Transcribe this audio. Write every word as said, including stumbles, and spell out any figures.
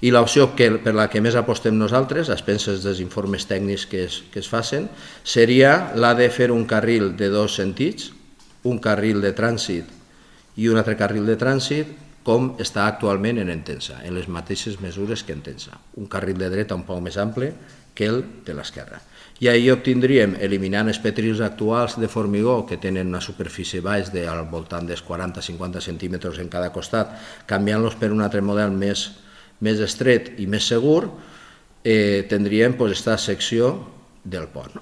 I l'opció per la que més apostem nosaltres, a expenses dels informes tècnics que es, que es facin, seria la de fer un carril de dos sentits, un carril de trànsit i un altre carril de trànsit, com està actualment en Entença, en les mateixes mesures que Entença. Un carril de dreta un poc més ample que el de l'esquerra. I ahir obtindríem, eliminant els petrils actuals de formigó que tenen una superfície baix de, al voltant dels quaranta a cinquanta centímetres en cada costat, canviant-los per un altre model més més estret i més segur, eh, tindríem pues, aquesta secció del pont.